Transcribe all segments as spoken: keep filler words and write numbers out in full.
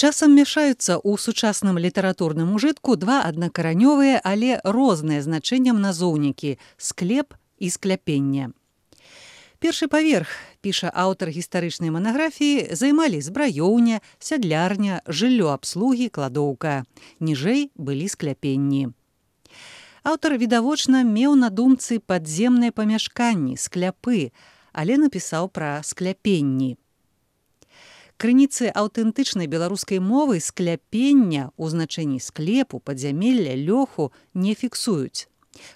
Часам мяшаюцца ў сучасным літаратурным ужытку два аднакаранёвыя, але розныя значэннем назоўнікі склеп і скляпенне. Першы паверх, піша аўтар гістарычнай манаграфіі, займалі збраёўня, сядлярня, жыллё абслугі, кладоўка. Ніжэй былі скляпенні. Аўтар відавочна меў на думцы падземныя памяшканні, скляпы, але напісаў пра скляпенні. Крыніцы аўтэнтычнай беларускай мовы скляпення ў значэнні склепу, падзямелля, лёху не фіксуюць.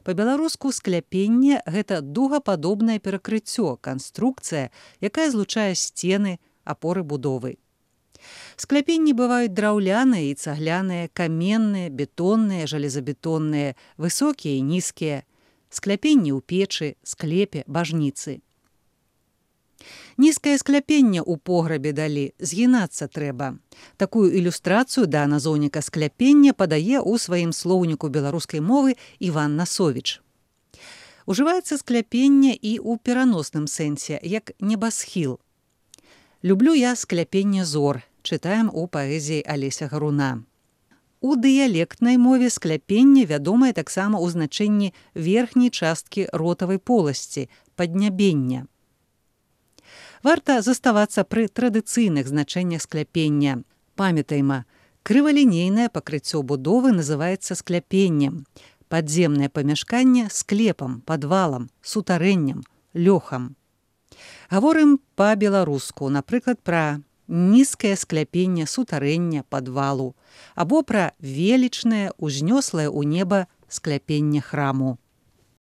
Па-беларуску скляпенне – гэта дугападобнае перакрыццё, канструкцыя, якая злучае сцены, апоры будовы. Скляпенні бываюць драўляныя і цагляныя, каменныя, бетонныя, жалезабетонныя, высокія і нізкія. Скляпенні ў печы, склепе, бажніцы. Нізкае скляпенне ў пограбе далі, згінацца трэба. Такую ілюстрацыю да назоўніка скляпення падае ў сваім слоўніку беларускай мовы Іван Насовіч. Ужываецца скляпенне і ў пераносным сэнсе, як небасхіл. «Люблю я скляпенне зор», чытаем у паэзіі Алеся Гаруна. У дыялектнай мове скляпенне вядомае таксама ў значэнні верхняй часткі ротавай поласці, паднябення. Варта заставацца пры традыцыйных значэннях скляпення. Памятайма, крывалінейнае пакрыццё будовы называецца скляпеннем, падземнае памяшканне – склепам, падвалам, сутарэннем, лёхам. Гаворым па-беларуску, напрыклад, пра нізкае скляпенне сутарэння, падвалу, або пра велічнае, узнёслае ў неба скляпенне храму.